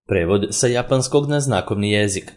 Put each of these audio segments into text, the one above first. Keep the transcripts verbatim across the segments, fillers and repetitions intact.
Prevod sa japanskog na znakovni jezik.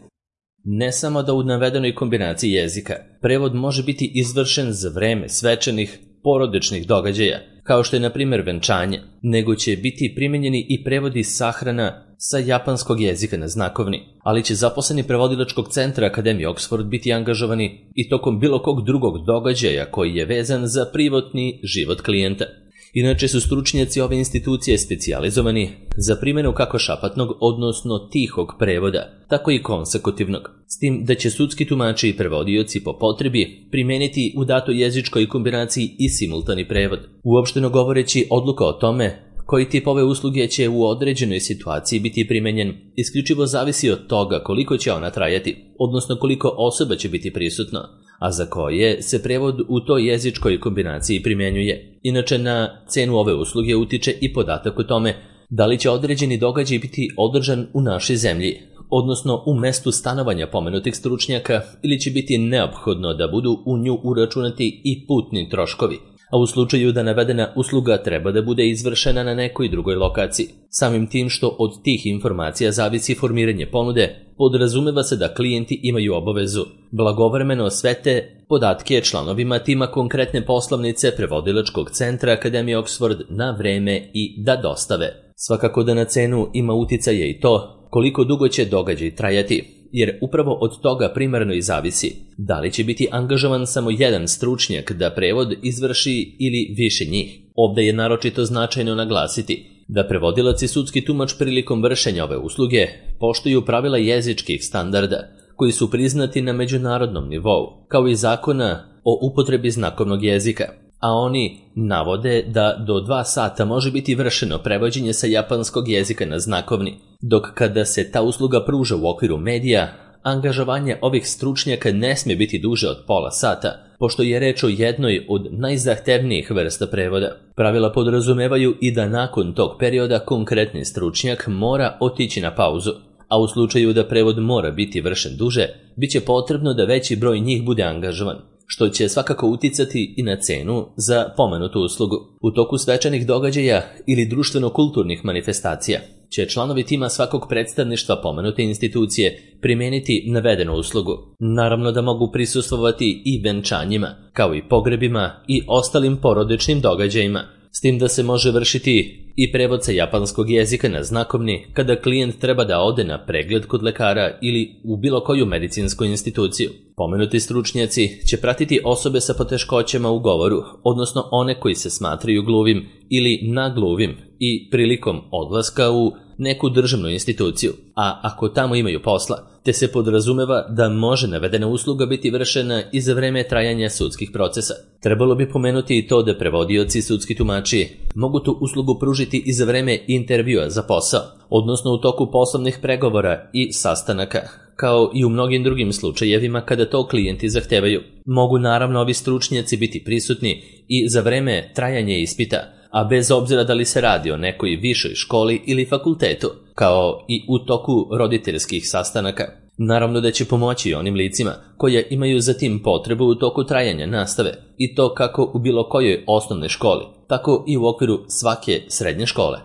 Ne samo da u navedenoj kombinaciji jezika prevod može biti izvršen za vreme svečanih, porodičnih događaja, kao što je na primjer venčanje, nego će biti primenjeni i prevodi sahrana sa japanskog jezika na znakovni, ali će zaposleni prevodilačkog centra Akademije Oxford biti angažovani i tokom bilo kog drugog događaja koji je vezan za privatni život klijenta. Inače su stručnjaci ove institucije specijalizovani za primjenu kako šapatnog, odnosno tihog prevoda, tako i konsekutivnog, s tim da će sudski tumači i prevodioci po potrebi primeniti u datoj jezičkoj kombinaciji i simultani prevod. Uopšteno govoreći, odluka o tome koji tip ove usluge će u određenoj situaciji biti primenjen isključivo zavisi od toga koliko će ona trajati, odnosno koliko osoba će biti prisutno, a za koje se prevod u toj jezičkoj kombinaciji primjenjuje. Inače, na cenu ove usluge utiče i podatak o tome da li će određeni događaj biti održan u našoj zemlji, odnosno u mestu stanovanja pomenutih stručnjaka, ili će biti neophodno da budu u nju uračunati i putni troškovi, a u slučaju da navedena usluga treba da bude izvršena na nekoj drugoj lokaciji. Samim tim što od tih informacija zavisi formiranje ponude, podrazumeva se da klijenti imaju obavezu blagovremeno sve te podatke članovima tima konkretne poslovnice prevodilačkog centra Akademije Oxford na vreme i da dostave. Svakako da na cenu ima uticaja i to koliko dugo će događaj trajati, jer upravo od toga primarno i zavisi da li će biti angažovan samo jedan stručnjak da prevod izvrši ili više njih. Ovde je naročito značajno naglasiti da prevodilac i sudski tumač prilikom vršenja ove usluge poštuju pravila jezičkih standarda koji su priznati na međunarodnom nivou, kao i zakona o upotrebi znakovnog jezika, a oni navode da do dva sata može biti vršeno prevođenje sa japanskog jezika na znakovni, dok kada se ta usluga pruža u okviru medija, angažovanje ovih stručnjaka ne smije biti duže od pola sata, pošto je reč o jednoj od najzahtevnijih vrsta prevoda. Pravila podrazumevaju i da nakon tog perioda konkretni stručnjak mora otići na pauzu, a u slučaju da prevod mora biti vršen duže, bit će potrebno da veći broj njih bude angažovan, što će svakako uticati i na cenu za pomenutu uslugu. U toku svečanih događaja ili društveno-kulturnih manifestacija će članovi tima svakog predstavništva pomenute institucije primeniti navedenu uslugu. Naravno da mogu prisustvovati i venčanjima, kao i pogrebima i ostalim porodičnim događajima, s tim da se može vršiti i prevod sa japanskog jezika na znakovni kada klijent treba da ode na pregled kod lekara ili u bilo koju medicinsku instituciju. Pomenuti stručnjaci će pratiti osobe sa poteškoćama u govoru, odnosno one koji se smatraju gluvim ili nagluvim i prilikom odlaska u neku državnu instituciju, a ako tamo imaju posla, te se podrazumeva da može navedena usluga biti vršena i za vreme trajanja sudskih procesa. Trebalo bi pomenuti i to da prevodioci i sudski tumači mogu tu uslugu pružiti i za vreme intervjua za posao, odnosno u toku poslovnih pregovora i sastanaka, kao i u mnogim drugim slučajevima kada to klijenti zahtevaju. Mogu naravno ovi stručnjaci biti prisutni i za vreme trajanja ispita, a bez obzira da li se radi o nekoj višoj školi ili fakultetu, kao i u toku roditeljskih sastanaka. Naravno da će pomoći onim licima koje imaju za tim potrebu u toku trajanja nastave, i to kako u bilo kojoj osnovnoj školi, tako i u okviru svake srednje škole.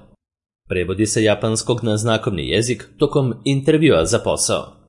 Prevodi sa japanskog na znakovni jezik tokom intervjua za posao.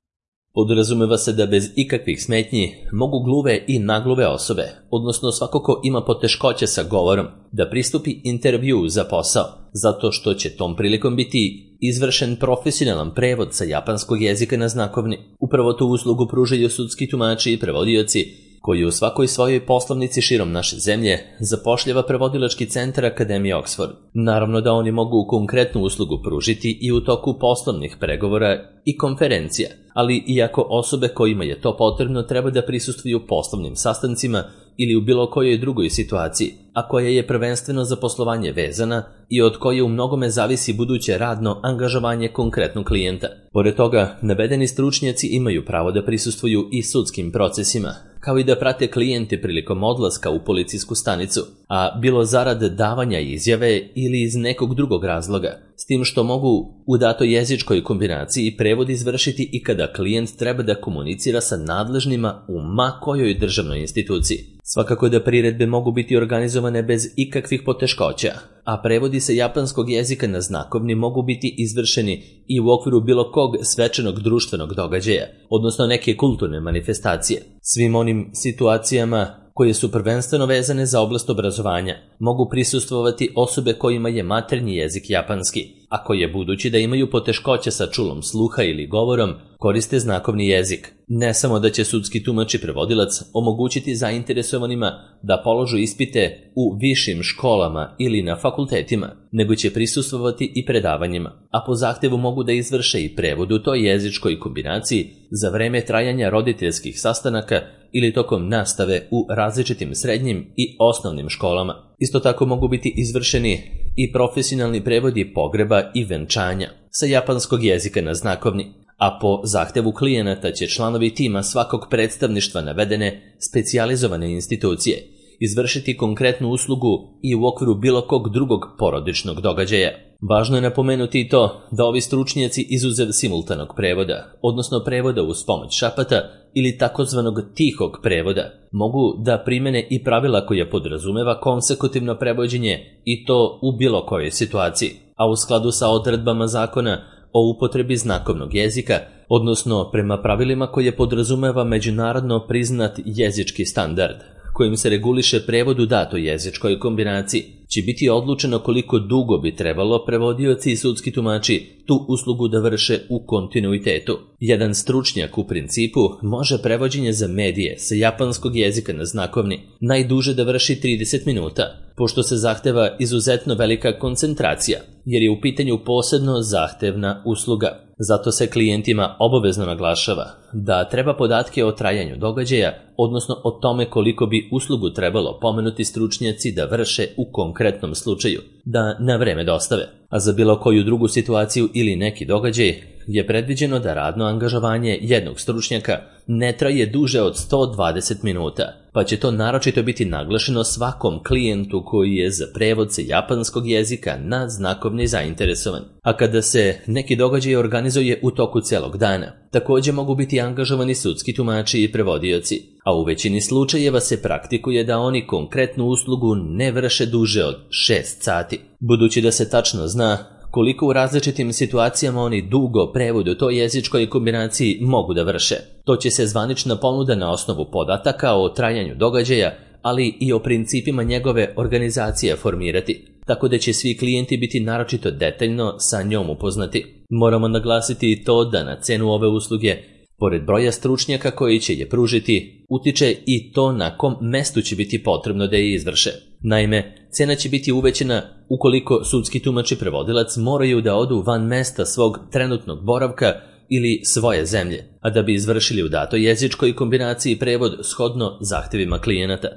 Podrazumeva se da bez ikakvih smetnji mogu gluve i nagluve osobe, odnosno svako ko ima poteškoće sa govorom, da pristupi intervjuu za posao, zato što će tom prilikom biti izvršen profesionalan prevod sa japanskog jezika na znakovni. Upravo tu uslugu pružaju sudski tumači i prevodioci, koji u svakoj svojoj poslovnici širom naše zemlje zapošljava prevodilački centar Akademije Oxford. Naravno da oni mogu konkretnu uslugu pružiti i u toku poslovnih pregovora i konferencija, ali iako osobe kojima je to potrebno treba da prisustvuju poslovnim sastancima ili u bilo kojoj drugoj situaciji, a koja je prvenstveno za poslovanje vezana i od koje u mnogome zavisi buduće radno angažovanje konkretnog klijenta. Pored toga, navedeni stručnjaci imaju pravo da prisustvuju i sudskim procesima, kao i da prate klijente prilikom odlaska u policijsku stanicu, a bilo zarad davanja izjave ili iz nekog drugog razloga, s tim što mogu u datoj jezičkoj kombinaciji prevod izvršiti i kada klijent treba da komunicira sa nadležnima u ma kojoj državnoj instituciji. Svakako da priredbe mogu biti organizovane bez ikakvih poteškoća, a prevodi sa japanskog jezika na znakovni mogu biti izvršeni i u okviru bilo kog svečanog društvenog događaja, odnosno neke kulturne manifestacije. Svim onim situacijama koje su prvenstveno vezane za oblast obrazovanja mogu prisustvovati osobe kojima je maternji jezik japanski, a koje budući da imaju poteškoće sa čulom sluha ili govorom, koriste znakovni jezik. Ne samo da će sudski tumač i prevodilac omogućiti zainteresovanima da položu ispite u višim školama ili na fakultetima, nego će prisustvovati i predavanjima, a po zahtevu mogu da izvrše i prevod u toj jezičkoj kombinaciji za vreme trajanja roditeljskih sastanaka ili tokom nastave u različitim srednjim i osnovnim školama. Isto tako mogu biti izvršeni i profesionalni prevodi pogreba i venčanja sa japanskog jezika na znakovni, a po zahtevu klijenata će članovi tima svakog predstavništva navedene specijalizovane institucije izvršiti konkretnu uslugu i u okviru bilo kog drugog porodičnog događaja. Važno je napomenuti i to da ovi stručnjaci izuzev simultanog prevoda, odnosno prevoda uz pomoć šapata ili takozvanog tihog prevoda, mogu da primene i pravila koja podrazumeva konsekutivno prevođenje i to u bilo kojoj situaciji, a u skladu sa odredbama zakona o upotrebi znakovnog jezika, odnosno prema pravilima koje podrazumeva međunarodno priznat jezički standard, kojim se reguliše prevod u datoj jezičkoj kombinaciji, će biti odlučeno koliko dugo bi trebalo prevodioci i sudski tumači tu uslugu da vrše u kontinuitetu. Jedan stručnjak u principu može prevođenje za medije sa japanskog jezika na znakovni najduže da vrši trideset minuta, pošto se zahteva izuzetno velika koncentracija, jer je u pitanju posebno zahtevna usluga. Zato se klijentima obavezno naglašava da treba podatke o trajanju događaja, odnosno o tome koliko bi uslugu trebalo pomenuti stručnjaci da vrše u konkretnom slučaju, da na vreme dostave. A za bilo koju drugu situaciju ili neki događaj je predviđeno da radno angažovanje jednog stručnjaka ne traje duže od sto dvadeset minuta, pa će to naročito biti naglašeno svakom klijentu koji je za prevod sa japanskog jezika na znakovni zainteresovan. A kada se neki događaj organizuje u toku celog dana, također mogu biti angažovani sudski tumači i prevodioci, a u većini slučajeva se praktikuje da oni konkretnu uslugu ne vrše duže od šest sati. Budući da se tačno zna koliko u različitim situacijama oni dugo prevod u toj jezičkoj kombinaciji mogu da vrše. To će se zvanična ponuda na osnovu podataka o trajanju događaja, ali i o principima njegove organizacije formirati, tako da će svi klijenti biti naročito detaljno sa njom upoznati. Moramo naglasiti i to da na cenu ove usluge, pored broja stručnjaka koji će je pružiti, utiče i to na kom mestu će biti potrebno da je izvrše. Naime, cena će biti uvećana ukoliko sudski tumač i prevodilac moraju da odu van mesta svog trenutnog boravka ili svoje zemlje, a da bi izvršili u datoj jezičkoj kombinaciji prevod shodno zahtevima klijenata.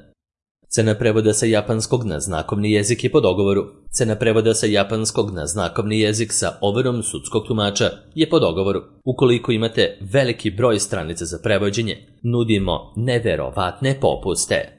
Cena prevoda sa japanskog na znakovni jezik je po dogovoru. Cena prevoda sa japanskog na znakovni jezik sa overom sudskog tumača je po dogovoru. Ukoliko imate veliki broj stranica za prevođenje, nudimo neverovatne popuste.